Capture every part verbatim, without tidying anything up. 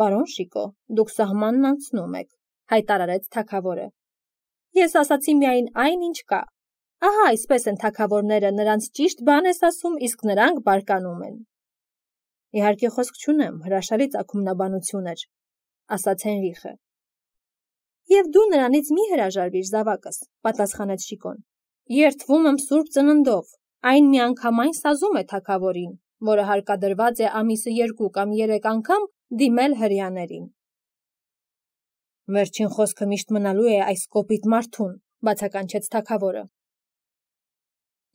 Պարոն Շիկո, դուք սահմանն անցնում եք, հայտարարեց թագավորը։ Ես ասացի միայն այն, ինչ կա։ Ահա այսպես են թագավորները, նրանց ճիշտ բան ես ասում, իսկ նրանք բարկանում են։ Իհարկե խոսք չունեմ, հրաշալի ծագումնաբանություն էր, ասաց Հենրիխը։ Եվ դու նրանից մի հրաժարվիր, զավակս, պատասխանեց Շիկոն։ Երդվում եմ սուրբ ծննդով, այն միանգամայն սազում է թագավորին, որը հարկադրված է ամիսը երկու կամ երեք անգամ դիմել հրեաներին։ Վերջին խոսքը միշտ մնալու է այս կոպիտ մարդուն, բացականչեց թագավորը։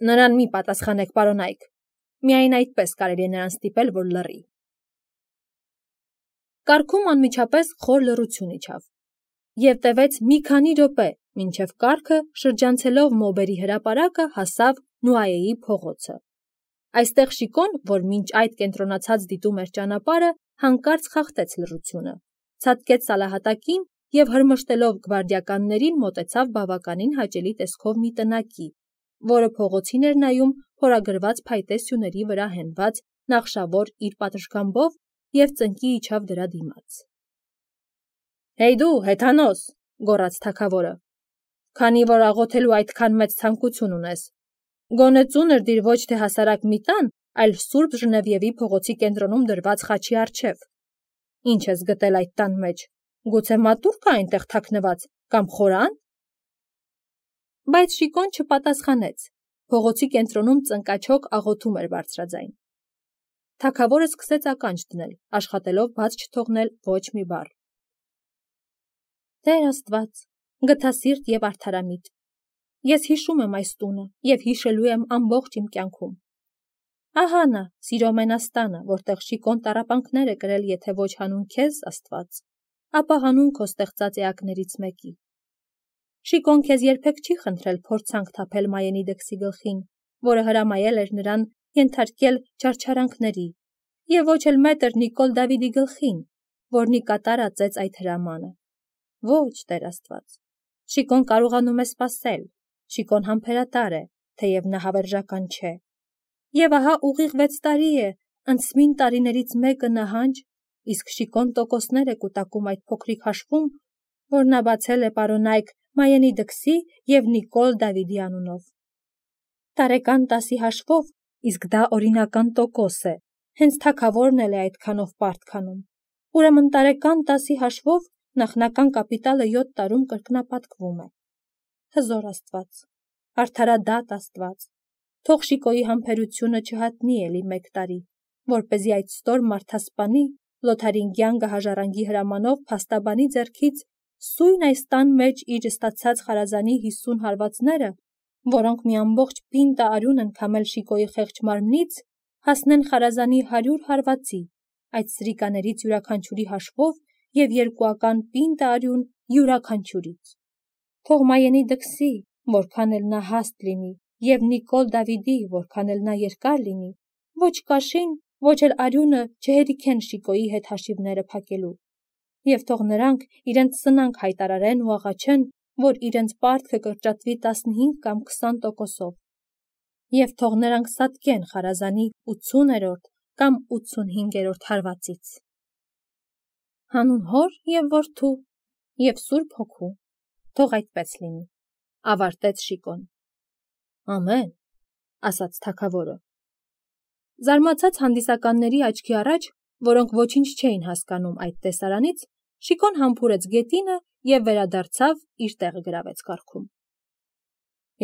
Նրան մի պատասխանեք, պարոնայք, միայն այդպես կարելի է նրան ստիպել, որ լռի։ Կարգում անմիջապես խոր լռություն իջավ, և տևեց մի քանի րոպե, մինչև կառքը, շրջանցելով մոբերի հրապարակը, հասավ Նուայեի փողոցը։ Այստեղ Շիկոն, որ մինչ այդ կենտրոնացած դիտում էր ճանապարհը, հանկարծ խախտեց լռությունը, ցատկեց սալահատակին և հրմշտելով գվարդիականներին մոտեցավ բավականին հաճելի տեսքով մի տնակի, որը փողոցին էր նայում փորագրված փայտե սյուների վրա հենված նախշավոր իր պատշգամբով և ծնկի իջավ դրա դիմաց։ Հեյ դու, հեթանոս, գոռաց թագավորը, քանի որ աղոթելու այդքան մեծ ցանկություն ունես, գոնե ծունր դիր ոչ թե հասարակ մի տան, այլ Սուրբ Ժնևիևի փողոցի կենտրոնում դրված խաչի առջև։ Ինչ ես գտել այդ տան մեջ, գուցե մատուռ կա այնտեղ թաքնված, կամ խորան։ Բայց Շիկոն չպատասխանեց, փողոցի կենտրոնում ծնկաչոք աղոթում էր բարձրաձայն։ Թագավորը սկսեց ականջ դնել, աշխատելով բաց չթողնել ոչ մի բառ։ Տեր Աստված, գթասիրտ և արդարամիտ, ես հիշում եմ այս տունը և հիշելու եմ ամբողջ իմ կյանքում։ Ահա նա, սիրո մենաստանը, որտեղ Շիկոն տառապանքներ է կրել, եթե ոչ հանուն քեզ, Աստված, ապա հանուն քո ստեղծած էակներից մեկի։ Շիկոն քեզ երբեք չի խնդրել փորձանք թափել Մայենի դքսի գլխին, որը հրամայել էր նրան ենթարկել չարչարանքների, և ոչ էլ մետր Նիկոլ Դավիդի գլխին, որն ի կատար ածեց այդ հրամանը։ Ոչ, Տեր Աստված, Շիկոն կարողանում է սպասել, Շիկոն համբերատար է, թեև նա հավերժական չէ։ Եվ ահա ուղիղ վեց տարի է, ընծմին տարիներից մեկը նահանջ, իսկ Շիկոն տոկոսներ է կուտակում այդ փոքրիկ հաշվում, որ նա բացել է պարոնայք Մայենի դքսի և Նիկոլ Դավիդի անունով։ Տարեկան տասի հաշվով, իսկ դա օրինական տոկոս է, հենց թագավորն էլ է այդքանով պարտ քանում։ Ուրեմն տարեկան տասի հաշվով նախնական կապիտալը յոթ տարում կրկնապատկվում է։ Հզոր Աստված, արդարադատ Աստված, թող Շիկոյի համբերությունը չհատնի էլի մեկ տարի, որպեսզի այդ ստոր մարդասպանի Լոթարինգյան գահաժառանգի հրամանով փաստաբանի ձեռքից սույն այս տան մեջ իր ստացած խարազանի հիսուն հարվածները, որոնք մի ամբողջ պինտա արյուն են քամել Շիկոյի խեղճ մարմնից, հասնեն խարազանի հարյուր հարվածի, այդ սրիկաներից յուրաքանչյուրի հաշվով և երկուական պինտա արյուն յուրաքանչյուրից։ Թող Մայենի դքսի, որքան էլ նա հաստ լինի, և Նիկոլ Դավիդի, որքան էլ նա երկար լինի, ոչ կաշին, ոչ էլ արյունը չհերիքեն Շիկոյի հետ հաշիվները փակելու, և թող նրանք իրենց սնանք հայտարարեն ու աղաչեն, որ իրենց պարտքը կրճատվի տասնհինգ կամ քսան տոկոսով, և թող նրանք սատկեն խարազանի ութսուներորդ կամ ութսունհինգերորդ հարվածից։ Հանուն Հոր և Որդու և Սուրբ Հոգու, թող այդպես լինի, ավարտեց Շիկոն։ Ամեն, ասաց թագավորը։ Զարմացած հանդիսականների աչքի առաջ, որոնք ոչինչ չէին հասկանում այդ տեսարանից, Շիկոն համբուրեց գետինը և վերադարձավ իր տեղը գրավեց կառքում։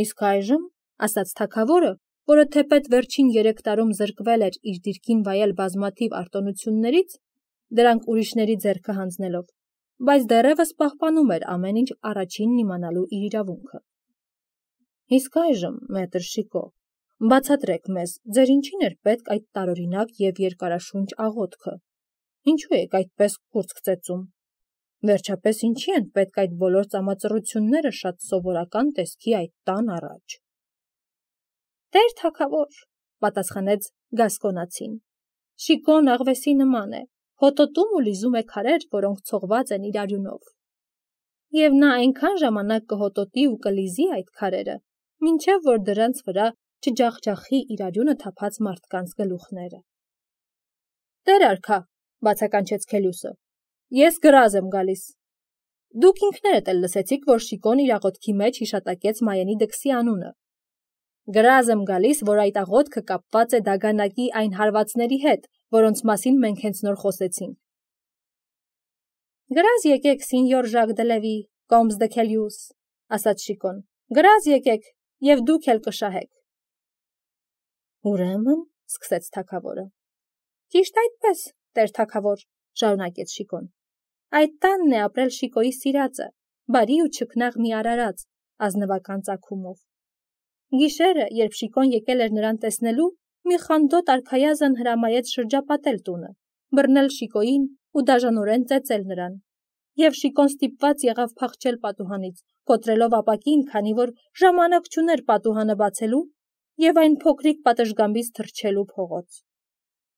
Իսկ այժմ, ասաց թագավորը, որը թեպետ վերջին երեք տարում զրկվել էր իր դիրքին վայել բազմաթիվ արտոնություններից, դրանք ուրիշների ձեռքը հանձնելով, բայց դեռևս պահպանում էր ամեն ինչ առաջինն իմանալու իր իրավունքը։ Իսկ այժմ, մետր Շիկո, բացատրեք մեզ, ձեր ինչին էր պետք այդ տարօրինակ և երկարաշունչ աղոթքը, ինչու եք այդպես կուրծք ծեծում, վերջապես ինչի են պետք այդ բոլոր ծամածռությունները շատ սովորական տեսքի այդ տան առաջ։ Տեր թագավոր, պատասխանեց գասկոնացին, Շիկոն աղվեսի նման է, հոտոտում ու լիզում է քարեր, որոնք ցողված են իր արյունով։ Եվ նա այնքան ժամանակ կհոտոտի ու կլիզի այդ քարերը, մինչև որ դրանց վրա չջախջախի իր արյունը թափած մարդկանց գլուխները։ Տեր արքա, բացականչեց Քելյուսը, Ես գրազ եմ գալիս։ Դուք ինքներդ էլ լսեցիք, որ Շիկոն իր աղոթքի մեջ հիշատակեց Մայենի դքսի անունը։ Գրազ եմ գալիս, որ այդ աղոթքը կապված է դագանակի այն հարվածների հետ, որոնց մասին մենք հենց նոր խոսեցինք։ Գրազ եկեք, սինյոր Ժակ դե Լևի, Կոմս դե Քելյուս, ասաց Շիկոն։ Գրազ եկեք, եւ դուք էլ կշահեք։ Ուրեմն, սկսեց թագավորը։ Ճիշտ այդպես, տեր թագավոր, շարունակեց Շիկոն։ Այդ տանն է ապրել Շիկոյի սիրածը, բարի ու չքնաղ մի արարած, ազնվական ծագումով։ Գիշերը, երբ Շիկոն եկել էր նրան տեսնելու, մի խանդոտ արքայազն հրամայեց շրջապատել տունը, բռնել Շիկոյին ու դաժանորեն ծեծել նրան։ Եվ Շիկոն ստիպված եղավ փախչել պատուհանից, կոտրելով ապակին, քանի որ ժամանակ չուներ պատուհանը բացելու եւ այն փոքրիկ պատշգամբից թռչելու փողոց։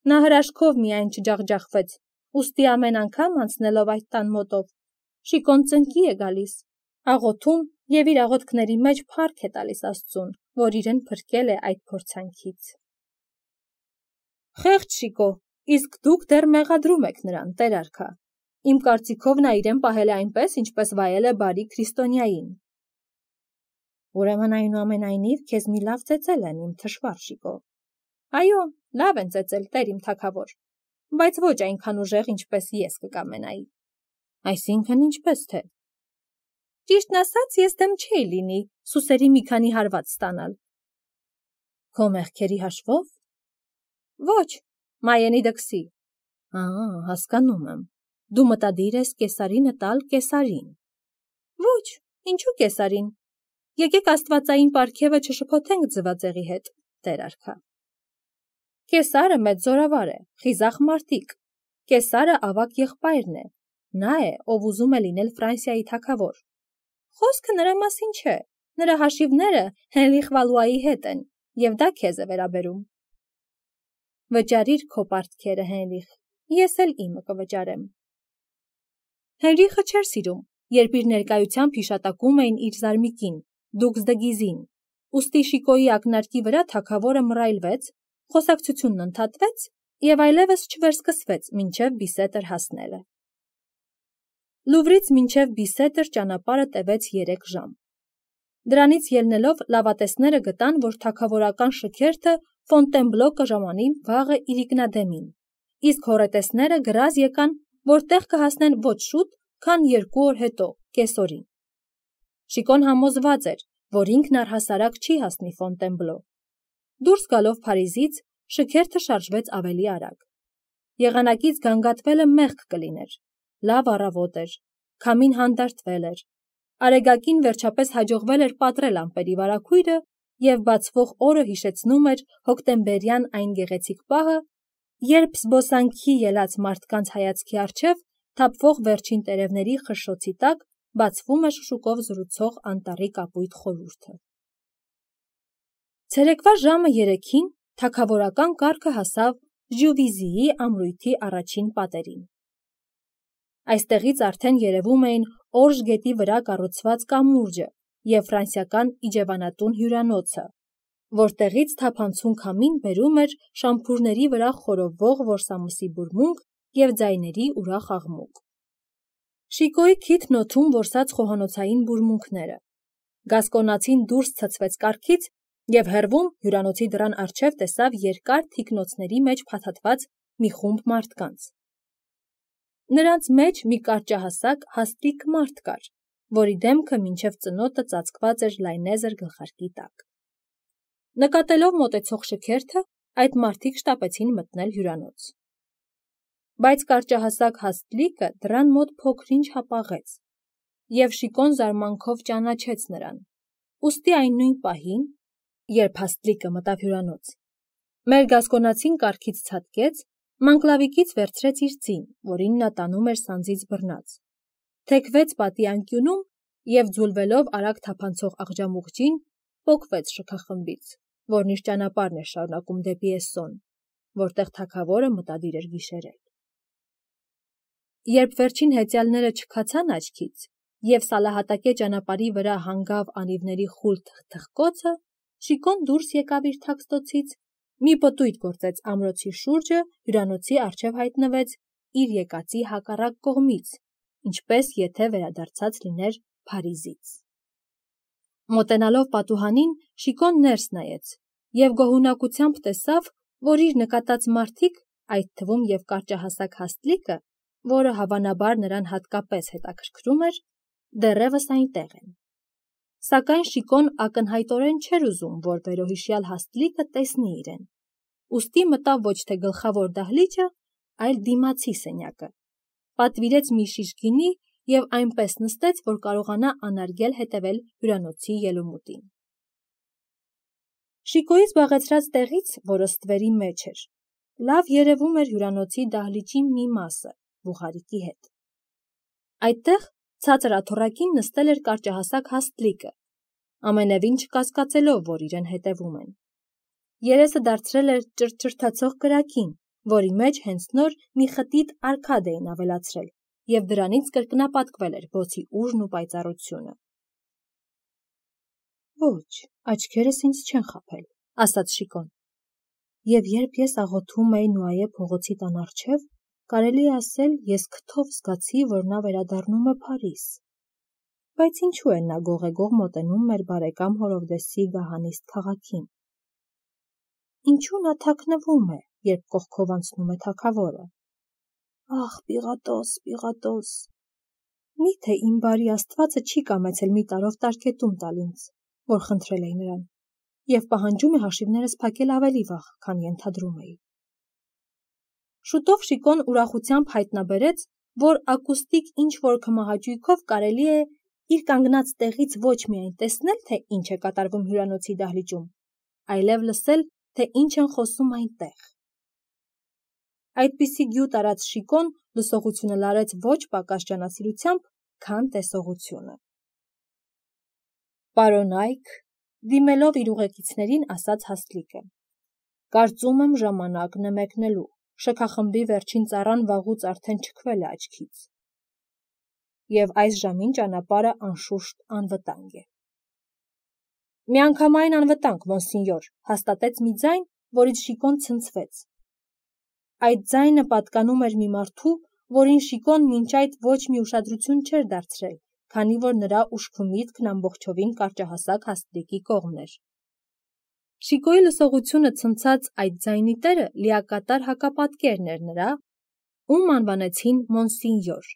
Նա հրաշքով միայն չջախջախվեց, ուստի ամեն անգամ անցնելով այդ տան մոտով, Շիկոն ծնկի է գալիս, աղոթում եւ իր աղոթքների մեջ փառք է տալիս Աստծուն, որ իրեն փրկել է այդ փորձանքից։ Խեղճ Շիկո, իսկ դուք դեռ մեղադրում եք նրան, տեր արքա։ Իմ կարծիքով նա իրեն պահել է այնպես, ինչպես վայել է բարի քրիստոնյային։ Ուրեմն այնուամենայնիվ քեզ մի լավ ծեծել են, իմ թշվառ Շիկո։ Այո, լավ են ծեծել, տեր իմ թագավոր, բայց ոչ այնքան ուժեղ, ինչպես ես կկամենայի։ Այսինքն ինչպես թե։ Ճիշտն ասած, ես դեմ չէի լինի սուսերի մի քանի հարված ստանալ։ Քո մեղքերի հաշվով։ Ոչ, Մայենի դքսի։ Ահա, հասկանում եմ։ Դու մտադիր ես կեսարինը տալ կեսարին։ Ոչ, ինչու կեսարին։ Եկեք աստվածային պարգևը չշփոթենք ձվածեղի հետ, տեր արքա։ Կեսարը մեծ զորավար է, խիզախ մարտիկ։ Կեսարը ավակ եղբայրն է։ Նա է, ով ուզում է լինել Ֆրանսիայի թագավոր։ Խոսքը նրա մասին չէ։ Նրա հաշիվները Հենրիխ Վալուայի հետ են, եւ դա քեզ է վերաբերում։ Վճարիր քո պարտքերը, Հենրիխ, ես էլ իմը կվճարեմ։ Հենրիխը չէր սիրում, երբ իր ներկայությամբ հիշատակում էին իր զարմիկին, Դուքս դե Գիզին, ուստի Շիկոյի ակնարկի վրա թագավորը մռայլվեց, խոսակցությունն ընդհատվեց եւ այլևս չվերսկսվեց մինչեւ Բիսետր հասնելը։ Լուվրից մինչեւ Բիսետր ճանապարհը տևեց երեք ժամ։ Դրանից ելնելով լավատեսները գտան, որ թագավորական շքերթը Ֆոնտենբլո կժամանի վաղը իրիկնադեմին, իսկ հոռետեսները գրազ եկան, որտեղ կհասնեն ոչ շուտ, քան երկու օր հետո, կեսօրին։ Շիկոն համոզված էր, որ ինքն առհասարակ չի հասնի Ֆոնտենբլո։ Դուրս գալով Փարիզից, շքերթը շարժվեց ավելի արագ։ Եղանակից գանգատվելը մեղք կլիներ։ Լավ առավոտ էր, քամին հանդարտվել էր։ Արեգակին վերջապես հաջողվել էր պատռել ամպերի վարագույրը եւ բացվող օրը հիշեցնում էր հոկտեմբերյան այն գեղեցիկ պահը, երբ զբոսանքի ելած մարդկանց հայացքի առջև թափվող վերջին տերևների խշշոցի տակ բացվում է շշուկով զրուցող անտառի կապույտ խորհուրդը։ Ցերեկվա ժամը երեքին թագավորական կառքը հասավ Ժյուվիզիի ամրույթի առաջին պատերին։ Այստեղից արդեն երևում էին Օրժ գետի վրա կառուցված կամուրջը եւ ֆրանսիական իջևանատուն հյուրանոցը, որտեղից թափանցուն քամին բերում էր շամփուրների վրա խորովվող որսամսի բուրմունք եւ ձայների ուրախ աղմուկ։ Շիկոյի քիթն օդում որսած խոհանոցային բուրմունքները։ Գասկոնացին դուրս ցցվեց կառքից եւ հեռվում հյուրանոցի դռան առջև տեսավ երկար թիկնոցների մեջ փաթաթված մի խումբ մարդկանց։ Նրանց մեջ մի կարճահասակ հաստլիկ մարդ կար, որի դեմքը մինչև ծնոտը ծածկված էր լայնեզր գլխարկի տակ։ Նկատելով մոտեցող շքերթը, այդ մարդիկ շտապեցին մտնել հյուրանոց։ Բայց կարճահասակ հաստլիկը դռան մոտ փոքր-ինչ հապաղեց, եւ Շիկոն զարմանքով ճանաչեց նրան։ Ուստի այն նույն պահին, երբ հաստլիկը մտավ հյուրանոց, մեր գասկոնացին կառքից ցատկեց, մանկլավիկից վերցրեց իր ձին, որին նա տանում էր սանձից բռնած, թեքվեց պատի անկյունում եւ ձուլվելով արագ թափանցող աղջամուղջին, պոկվեց շքախմբից, որն իր ճանապարհն էր շարունակում դեպի Էսսոն, որտեղ թագավորը մտադիր էր գիշերել։ Երբ վերջին հեծյալները չքացան աչքից եւ սալահատակե ճանապարհի վրա հանգավ անիվների խուլ թխթխկոցը, Շիկոն դուրս եկավ իր թաքստոցից, մի պտույտ գործեց ամրոցի շուրջը, հյուրանոցի առջև հայտնվեց իր եկածի հակառակ կողմից, ինչպես եթե վերադարձած լիներ Փարիզից։ Մոտենալով պատուհանին, Շիկոն ներս նայեց և գոհունակությամբ տեսավ, որ իր նկատած մարդիկ, այդ թվում և կարճահասակ Հաստլիկը, որը հավանաբար նրան հատկապես հետաքրքրում էր, դեռևս այնտեղ են։ Սակայն Շիկոն ակնհայտորեն չէր ուզում, որ վերոհիշյալ Հաստլիկը տեսնի իրեն, ուստի մտավ ոչ թե գլխավոր դահլիճը, այլ դիմացի սենյակը, պատվիրեց մի շիշ գինի և այնպես նստեց, որ կարողանա անարգել հետևել հյուրանոցի ելումուտին։ Շիկոյի զբաղեցրած տեղից, որը ստվերի մեջ էր, լավ երևում էր հյուրանոցի դահլիճի մի մասը, բուխարիկի հետ։ Այդտեղ ցածր աթոռակին նստել էր կարճահասակ Հաստլիկը, ամենևին չկասկածելով, որ իրեն հետևում են։ Երեսը դարձրել էր ճրճրթացող կրակին, որի մեջ հենց նոր մի խտիտ արքադ էին ավելացրել, և դրանից կրկնապատկվել էր բոցի ուժն ու պայծառությունը։ Ոչ, աչքերս ինձ չեն խաբել, ասաց Շիկոն, և երբ ես աղոթում էի Նուայե փողոցի տան առջև, կարելի է ասել, ես քթով զգացի, որ նա վերադառնում է Փարիզ։ Բայց ինչու է նա գողեգող մոտենում մեր բարեկամ Հորովդեսի գահանիստ քաղաքին։ Ինչու նա թաքնվում է, երբ կողքով անցնում է թագավորը։ Ախ, Պիղատոս, Պիղատոս, միթե իմ բարի Աստվածը չի կամեցել մի տարով տարկետում տալ ինձ, որ խնդրել էի նրան, և պահանջում է հաշիվներս փակել ավելի վաղ, քան ենթադրում էի։ Շուտով Շիկոն ուրախությամբ հայտնաբերեց, որ ակուստիկ ինչ-որ քմահաճույքով կարելի է իր կանգնած տեղից ոչ միայն տեսնել, թե ինչ է կատարվում հյուրանոցի դահլիճում, այլև լսել, թե ինչ են խոսում այնտեղ։ Այդպիսի գյուտ արած Շիկոն լսողությունը լարեց ոչ պակաս ջանասիրությամբ, քան տեսողությունը։ Պարոն Այք, դիմելով իր ուղեկիցներին, ասաց Հաստլիկը, կարծում եմ ժամանակն է մեկնելու, շքախմբի վերջին ծառան վաղուց արդեն չքվել է աչքից, և այս ժամին ճանապարհը անշուշտ անվտանգ է։ Միանգամայն անվտանգ, մոնսինյոր, հաստատեց մի ձայն, որից Շիկոն ցնցվեց։ Այդ ձայնը պատկանում էր մի մարդու, որին Շիկոն մինչ այդ ոչ մի ուշադրություն չէր դարձրել, քանի որ նրա ուշքը միտքն ամբողջովին կարճահասակ Հաստլիկի կողմն էր։ Շիկոյի լսողությունը ցնցած այդ ձայնի տերը լիակատար հակապատկերն էր նրա, ում անվանեցին մոնսինյոր։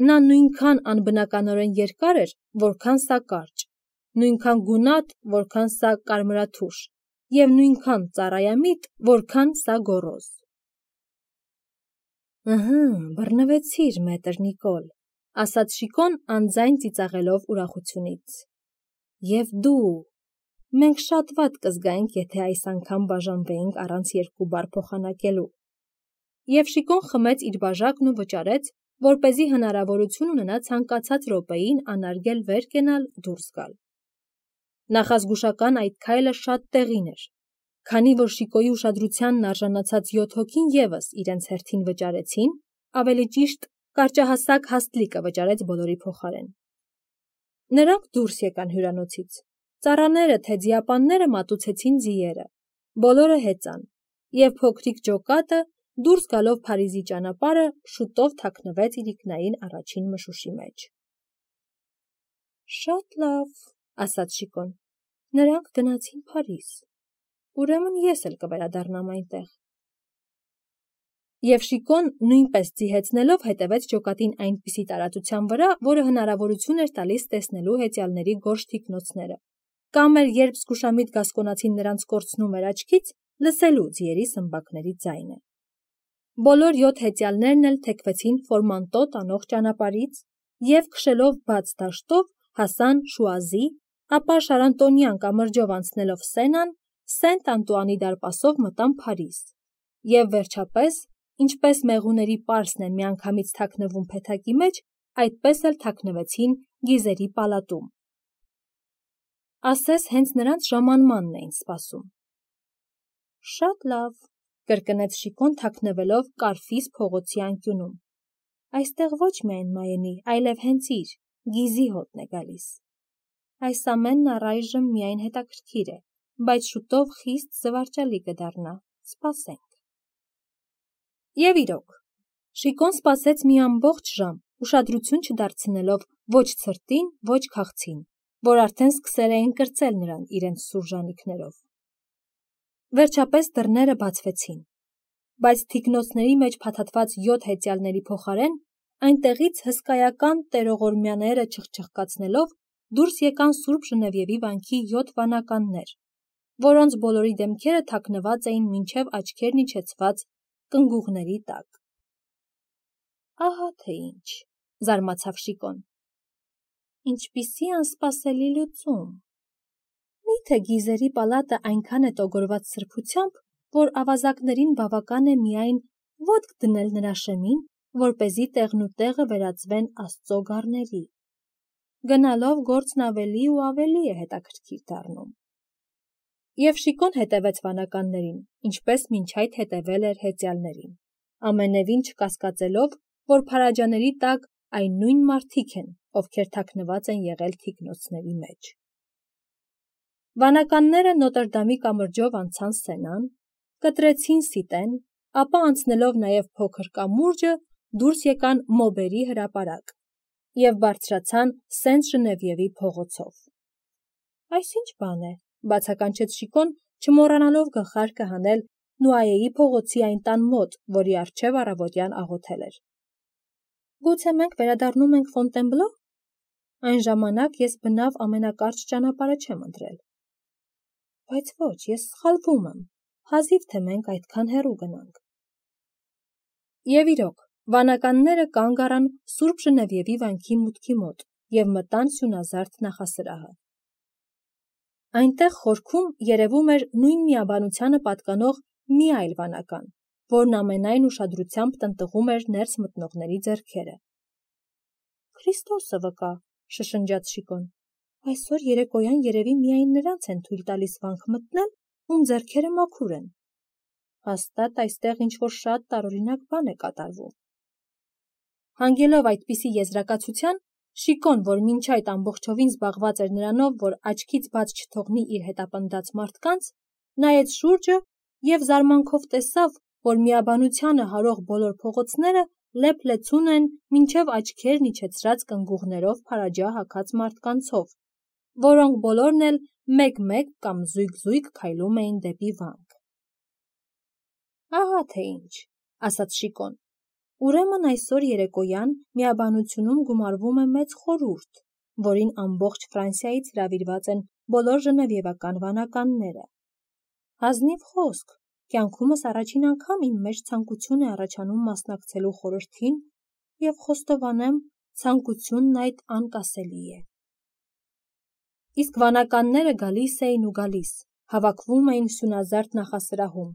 Նա նույնքան անբնականորեն երկար էր, որքան սա կարճ, նույնքան գունատ, որքան սա կարմրաթուշ, և նույնքան ծառայամիտ, որքան սա գոռոզ։ Ըհը, բռնվեցիր, մետր Նիկոլ, ասաց Շիկոն անձայն ծիծաղելով ուրախությունից։ Եվ դու, մենք շատ վատ կզգայինք, եթե այս անգամ բաժանվեինք առանց երկու բառ փոխանակելու։ Եվ Շիկոն խմեց իր բաժակն ու վճարեց, որպեսզի հնարավորություն ունենա ցանկացած րոպեին անարգել վեր կենալ, դուրս գալ։ Նախազգուշական այդ քայլը շատ տեղին էր, քանի որ Շիկոյի ուշադրությանն արժանացած յոթ հոգին ևս իրենց հերթին վճարեցին, ավելի ճիշտ կարճահասակ Հաստլիկը վճարեց բոլորի փոխարեն։ Նրանք դուրս եկան հյուրանոցից, ծառաները թե ձիապանները մատուցեցին ձիերը, բոլորը հեծան, և փոքրիկ ջոկատը, դուրս գալով Փարիզի ճանապարհը, շուտով թաքնվեց իրիկնային առաջին մշուշի մեջ։ Շատ լավ, ասաց Շիկոն, նրանք գնացին Փարիզ, ուրեմն ես էլ կվերադառնամ այնտեղ։ Եվ Շիկոն նույնպես ձիհեցնելով հետևեց ջոկատին այնպիսի տարածության վրա, որը հնարավորություն էր տալիս տեսնելու հեծյալների գորշ թիկնոցները, կամ էր, երբ զգուշամիտ գասկոնացին նրանց կորցնում էր աչքից, լսելու ձիերի սմբակների ձայնը։ Բոլոր յոթ հեծյալներն էլ թեքվեցին Ֆորմանտո տանող ճանապարհից և քշելով բաց դաշտով հասան Շուազի, ապա Շարանտոնյան կամրջով անցնելով Սենան, Սենտ Անտուանի դարպասով մտան Փարիզ, և վերջապես, ինչպես մեղուների պարսն են միանգամից թաքնվում փեթակի մեջ, այդպես էլ թաքնվեցին Գիզերի պալատում։ Ասես հենց նրանց ժամանմանն էին սպասում։ Շատ լավ, կրկնեց Շիկոն թաքնվելով Կարֆիս փողոցի անկյունում։ Այստեղ ոչ միայն Մայենի, այլև հենց իր, Գիզի հոտն է գալիս։ Այս ամենն առայժմ միայն հետաքրքիր է, բայց շուտով խիստ զվարճալի կդառնա, սպասենք։ Եվ իրոք, Շիկոն սպասեց մի ամբողջ ժամ, ուշադրություն չդարձնելով ոչ ցրտին, ոչ քաղցին, որ արդեն սկսել էին կրծել նրան իրենց սուր ժանիքներով։ Վերջապես դռները բացվեցին, բայց թիկնոցների մեջ փաթաթված յոթ հեծյալների փոխարեն այնտեղից հսկայական տերողորմյաները չխչխկացնելով դուրս եկան Սուրբ Ժնևիևի վանքի յոթ վանականներ, որոնց բոլորի դեմքերը թաքնված էին մինչև աչքերն իջեցված կնգուղների տակ։ Ահա թե ինչ, զարմացավ Շիկոն։ Ինչպիսի անսպասելի լուծում։ Միթե գիզերի պալատը այնքան է տոգորված սրբությամբ, որ ավազակներին բավական է միայն ոտք դնել նրա շեմին, որպեսզի տեղնուտեղը վերածվեն Աստծո գառների։ Գնալով գործն ավելի ու ավելի է հետաքրքիր դառնում։ Եվ Շիկոն հետևեց վանականներին, ինչպես մինչ այդ հետևել էր հեծյալներին, ամենևին չկասկածելով, որ փարաջաների տակ այն նույն մարդիկ են, ովքեր թաքնված են եղել թիկնոցների մեջ։ Վանականները Նոտրդամի կամրջով անցան Սենան, կտրեցին Սիտեն, ապա անցնելով նաև փոքր կամուրջը դուրս եկան Մոբերի հրապարակ և բարձրացան Սենտ Ժնևիևի փողոցով։ Այս ինչ բան է, բացականչեց Շիկոն, չմոռանալով գլխարկը հանել Նուայեի փողոցի այն տան մոտ, որի առջև առավոտյան աղոթել էր։ Գուցե մենք վերադառնում ենք Ֆոնտենբլո՞։ Այն ժամանակ ես բնավ ամենակարճ ճանապարհը չեմ ընտրել։ Բայց ոչ, ես սխալվում եմ, հազիվ թե մենք այդքան հեռու գնանք։ Եվ իրոք, վանականները կանգ առան Սուրբ Ժնևիևի վանքի մուտքի մոտ և մտան սյունազարդ նախասրահը։ Այնտեղ խորքում երևում էր նույն միաբանությանը պատկանող մի այլ վանական, որն ամենայն ուշադրությամբ տնտղում էր ներս մտնողների ձեռքերը։ Քրիստոսը վկա, շշնջաց Շիկոն, այսօր երեկոյան երևի միայն նրանց են թույլ տալիս վանք մտնել, ում ձեռքերը մաքուր են։ Հաստատ այստեղ ինչ-որ շատ տարօրինակ բան է կատարվում։ Հանգելով այդպիսի եզրակացության, Շիկոն, որ մինչ այդ ամբողջովին զբաղված էր նրանով, որ աչքից բաց չթողնի իր հետապնդած մարդկանց, նայեց շուրջը և զարմանքով տեսավ, որ միաբանությանը հարող բոլոր փողոցները լեփ-լեցուն են մինչև աչքերն իջեցրած կնգուղներով փարաջա հագած մարդկանցով, որոնք բոլորն էլ մեկ-մեկ կամ զույգ-զույգ քայլում էին դեպի վանք։ Ահա թե ինչ, ասաց Շիկոն, ուրեմն այսօր երեկոյան միաբանությունում գումարվում է մեծ խորհուրդ, որին ամբողջ Ֆրանսիայից հրավիրված են բոլոր ժնևիևական վանականները։ Ազնիվ խոսք, կյանքումս առաջին անգամ իմ մեջ ցանկություն է առաջանում մասնակցելու խորհրդին և խոստովանեմ, ցանկությունն այդ անկասելի է։ Իսկ վանականները գալիս էին ու գալիս, հավաքվում էին սյունազարդ նախասրահում,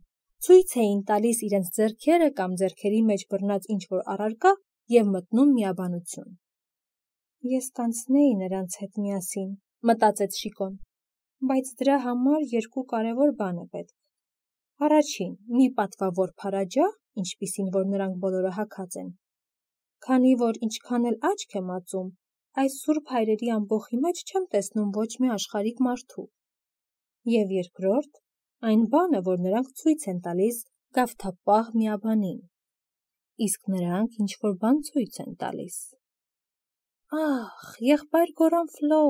ցույց էին տալիս իրենց ձեռքերը կամ ձեռքերի մեջ բռնած ինչ-որ առարկա և մտնում միաբանություն։ Ես կանցնեի նրանց հետ միասին, մտածեց Շիկոն, բայց դրա համար երկու կարևոր բան է պետք։ Առաջին, մի պատվավոր փարաջա, ինչպիսին որ նրանք բոլորը հագած են, քանի որ ինչքան էլ աչք եմ ածում, այս սուրբ հայրերի ամբոխի մեջ չեմ տեսնում ոչ մի աշխարհիկ մարդու։ Եվ երկրորդ, այն բանը, որ նրանք ցույց են տալիս գավթապահ միաբանին։ Իսկ նրանք ինչ-որ բան ցույց են տալիս։ Ախ, եղբայր Գորանֆլո,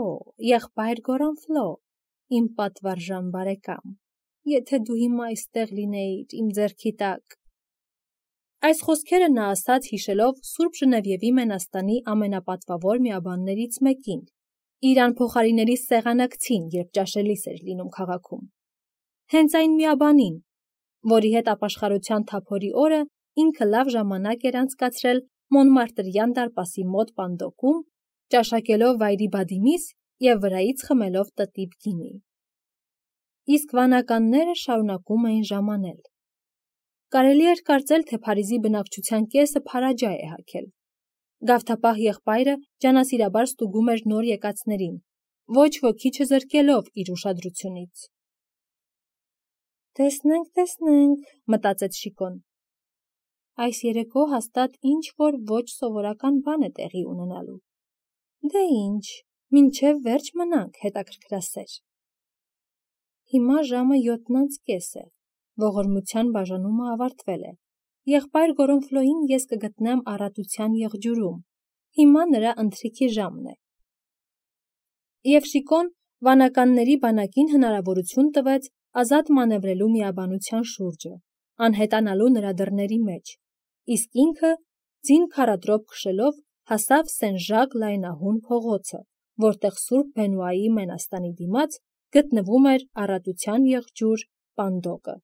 եղբայր Գորանֆլո, իմ պատվարժան բարեկամ, եթե դու հիմա այստեղ լինեիր իմ ձեռքի տակ։ Այս խոսքերը նա ասաց հիշելով Սուրբ Ժնևիևի մենաստանի ամենապատվավոր միաբաններից մեկին, իր անփոխարինելի սեղանակցին, երբ ճաշելիս էր լինում քաղաքում։ Հենց այն միաբանին, որի հետ ապաշխարության թափորի օրը ինքը լավ ժամանակ էր անցկացրել Մոնմարտրյան դարպասի մոտ Պանդոկում, ճաշակելով վայրի բադիմիս և վրայից խմելով տտիպ գինի։ Իսկ վանականները շարունակում էին ժամանել։ Կարելի էր կարծել, թե Փարիզի բնակչության կեսը փարաջա է հագել։ Գավթապահ եղբայրը ջանասիրաբար ստուգում էր նոր եկածներին, ոչ ոքի չզրկելով իր ուշադրությունից։ Տեսնենք, տեսնենք, մտածեց Շիկոն։ Այս երեկո հաստատ ինչ-որ ոչ սովորական բան է տեղի ունենալու։ Դե ինչ, մինչև վերջ մնանք, հետաքրքրասեր։ Հիմա ժամը յոթն անց կես է, ողորմության բաժանումը ավարտվել է, եղբայր Գորոնֆլոյին ես կգտնեմ առատության եղջյուրում, հիմա նրա ընթրիքի ժամն է։ Եվ Շիկոն վանականների բանակին հնարավորություն տվեց ազատ մանևրելու միաբանության շուրջը, անհետանալու նրա դռների մեջ, իսկ ինքը, ձին քարադրոպ քշելով, հասավ Սեն-Ժակ լայնահուն փողոցը, որտեղ Սուրբ Բենուայի մենաստանի դիմաց գտնվում էր առատության եղջյուր Պանդոկը։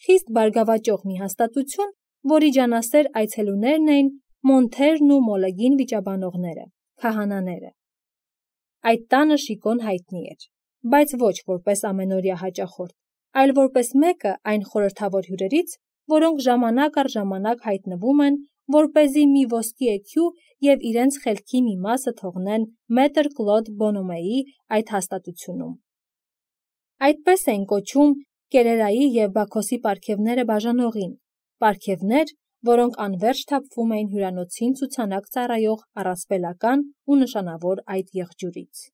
Խիստ բարգավաճող մի հաստատություն, որի ջանասեր այցելուներն էին Մոնթերն ու Մոլեգին վիճաբանողները, քահանաները։ Այդ տանը Շիկոն հայտնի էր, բայց ոչ որպես ամենօրյա հաճախորդ, այլ որպես մեկը այն խորհրդավոր հյուրերից, որոնք ժամանակ առ ժամանակ հայտնվում են, որպեսզի մի ոսկի էքյու և իրենց խելքի մի մասը թողնեն մետր Կլոդ Բոնոմեի այդ հաստատությունում։ Այդպես էին կոչում Կերերայի և Բաքոսի պարգևները բաժանողին, պարգևներ, որոնք անվերջ թափվում էին հյուրանոցին ցուցանակ ծառայող առասպելական ու նշանավոր այդ եղջյուրից։